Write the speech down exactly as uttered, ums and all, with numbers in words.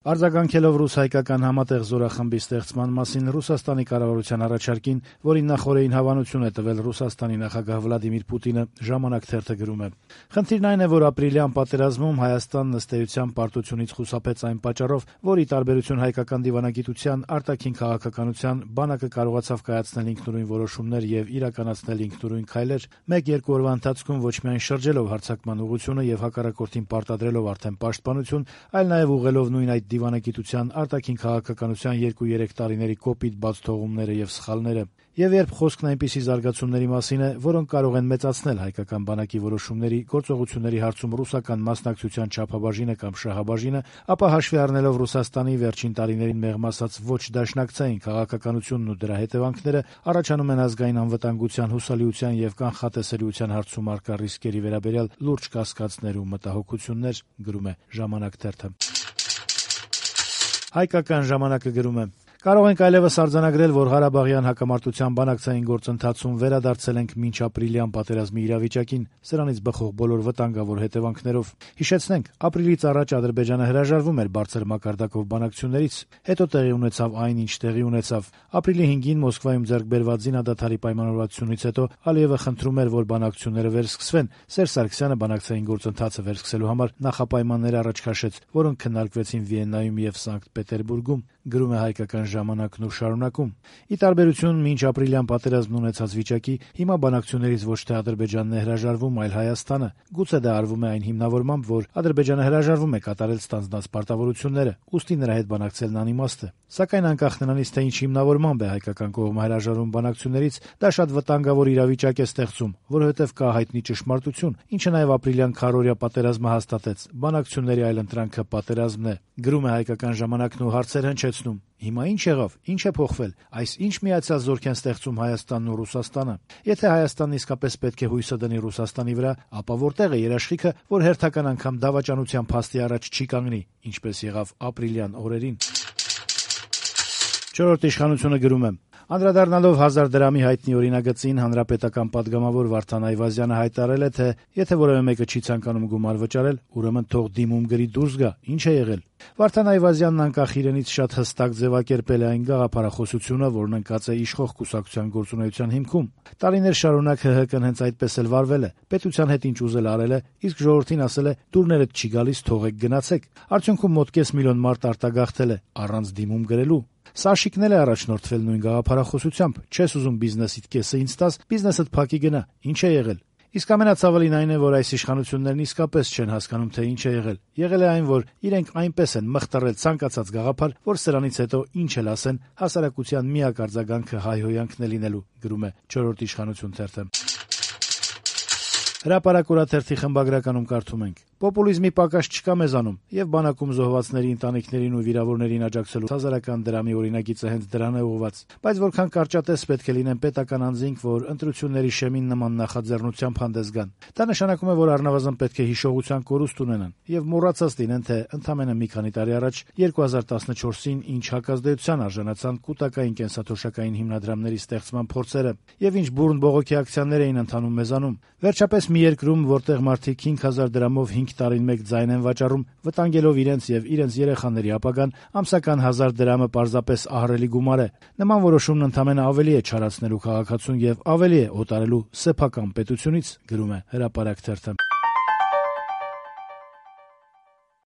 Արձագանքելով ռուս-հայկական համատեղ զորախմբի ստեղծման մասին Ռուսաստանի կառավարության առաջարկին, որին նախօրեին հավանություն է տվել Ռուսաստանի նախագահ Վլադիմիր Պուտինը, «Ժամանակ» թերթը գրում է. «Խնդիրն այն է, որ ապրիլյան պատերազմում Հայաստանն ըստ էության պարտությունից խուսափեց այն պատճառով, որ ի տարբերություն հայկական դիվանագիտության, արտաքին քաղաքականության, բանակը կարողացավ կայացնել ինքնուրույն որոշումներ եւ իրականացնել ինքնուրույն քայլեր, մեկ-երկու օրվա ընթացքում ոչ միայն շրջելով հարձակման ուղղությունը եւ հակառակորդին պարտադրելով արդեն պաշտպանություն, այլ նաեւ ուղղելով նույն այդ դիվանագիտության, արտաքին քաղաքականության երկու-երեք տարիների կոպիտ բացթողումները եւ սխալները։ Եվ երբ խոսքն այնպիսի զարգացումների մասին է, որոնք կարող են մեծացնել հայկական բանակի որոշումների, գործողությունների հարցում ռուսական մասնակցության չափաբաժինը կամ շահաբաժինը, ապա հաշվի առնելով Ռուսաստանի վերջին տարիներին մեղմ ասած ոչ դաշնակցային քաղաքականությունն ու դրա հետևանքները, առաջանում են ազգային անվտանգության, հուսալիության եւ կանխատեսելիության հարցում առկա ռիսկերի վերաբերյալ լուրջ կասկածներ ու մտահոգություններ», գրում է «Ժամանակ» թերթը։ Հայկական ժամանակը գրում է. «Կարող ենք այլևս արձանագրել, որ Ղարաբաղյան հակամարտության բանակցային գործընթացում վերադարձել ենք մինչ ապրիլյան պատերազմի իրավիճակին, սրանից բխող բոլոր վտանգավոր հետևանքներով։ Հիշեցնենք, ապրիլից առաջ Ադրբեջանը հրաժարվում էր բարձր մակարդակով բանակցություններից, հետո տեղի ունեցավ այն, ինչ տեղի ունեցավ։ Ապրիլի հինգին Մոսկվայում ձեռք բերված զինադադարի պայմանավորվածությունից հետո Ալիևը խնդրում էր, որ բանակցությունները վերսկսվեն։ Սերժ Սարգսյանը բանակցային գործընթացը վերսկսելու համար նախապայմաններ առաջ քաշեց, որոնք քննարկվեցին Վիեննայում եւ Սանկտ Պետերբուրգում», գրում է Հայկական ժամանակն ու շարունակում. «Ի տարբերություն մինչ ապրիլյան պատերազմն ունեցած վիճակի, հիմա բանակցություններից ոչ թե Ադրբեջանն է հրաժարվում, այլ Հայաստանը։ Գուցե դա արվում է այն հիմնավորմամբ, որ Ադրբեջանը հրաժարվում է կատարել ստանձնած պարտավորությունները, ուստի նրա հետ բանակցելն անիմաստ է։ Սակայն անկախ նրանից, թե ինչ հիմնավորմամբ է հայկական կողմը հրաժարվում բանակցություններից, դա շատ վտանգավոր իրավիճակ է ստեղծում, որովհետև կա հայտնի ճշմարտություն, ինչը նաև ապրիլյան քառօրյա պատերազմը հաստատեց. բանակցությունների այլընտրանքը պատերազմն է», գրում է Հայկական ժամանակն ու հարցեր հնչեցնում. «Հիմա ինչ եղավ, ինչ է փոխվել, այս ինչ միացյալ զորք են ստեղծում Հայաստանն ու Ռուսաստանը։ Եթե Հայաստանն իսկապես պետք է հույսը դնի Ռուսաստանի վրա, ապա որտեղ է երաշխիքը, որ հերթական անգամ դավաճանության փաստի առաջ չի կանգնի, ինչպես եղավ ապրիլյան օրերին»։ «Չորրորդ իշխանությունը» գրում է. «Անդրադառնալով հազար դրամի հայտնի օրինագծին, հանրապետական պատգամավոր Վարդան Այվազյանը հայտարարել է, թե եթե որևէ մեկը չի ցանկանում գումար վճարել, ուրեմն թող դիմում գրի դուրս գա։ Ինչ է եղել։ Վարդան Այվազյանն անկախ իրենից շատ հստակ ձևակերպել է այն գաղափարախոսությունը, որն ընկած է իշխող կուսակցության գործունեության հիմքում։ Տարիներ շարունակ ՀՀԿ-ն հենց այդպես էլ վարվել է, պետության հետ ինչ ուզել արել է, իսկ ժողովրդին ասել է՝ դուրներդ չի գալիս, թողեք գնացեք։ Արդյունքում մոտ կես միլիոն մարդ արտագաղթել է, առանց դիմում գրելու։ Սաշիկն էլ է առաջնորդվել նույն գաղափարախոսությամբ։ Չես ուզում բիզնեսիդ կեսը ինձ տաս, բիզնեսդ փակի գնա։ Ինչ է եղել։ Իսկ ամենացավալին այն է, որ այս իշխանություններն իսկապես չեն հասկանում, թե ինչ է եղել։ Եղել է այն, որ իրենք այնպես են մխտռել ցանկացած գաղափար, որ սրանից հետո ինչ էլ ասեն, հասարակության միակ արձագանքը հայհոյանքն է լինելու», գրում է «Չորրորդ իշխանություն» թերթը։ Հրապարակ օրաթերթի խմբագրականում կարդում ենք. «Պոպուլիզմի պակաս չկա մեզանում, եւ բանակում զոհվածների ընտանիքներին ու վիրավորներին աջակցելու հազարական դրամի օրինագիծը հենց դրան է ուղղված։ Բայց որքան կարճատես պետք է լինեն պետական անձինք, որ ընտրությունների շեմին նման նախաձեռնությամբ հանդես գան։ Դա նշանակում է, որ առնվազն պետք է հիշողության կորուստ ունենան եւ մոռացած լինեն, թե ընդամենը մի քանի տարի առաջ երկու հազար տասնչորսին ինչ հակազդեցության արժանացան կուտակային կենսաթոշակային հիմնադրամների ստեղծման փորձերը եւ ինչ բուրըն բողոքի ակցիաներ էին ընթանում մեզանում։ Վերջապես մի երկրում, որտեղ մարդիկ հինգ հազար դրամով հինգ տարին մեկ ձայն են վաճառում, վտանգելով իրենց եւ իրենց երեխաների ապագան, ամսական հազար դրամը պարզապես ահռելի գումար է։ Նման որոշումն ընդամենը ավելի է չարացնելու քաղաքացուն եւ ավելի է օտարելու սեփական պետությունից», գրում է Հրապարակ թերթը։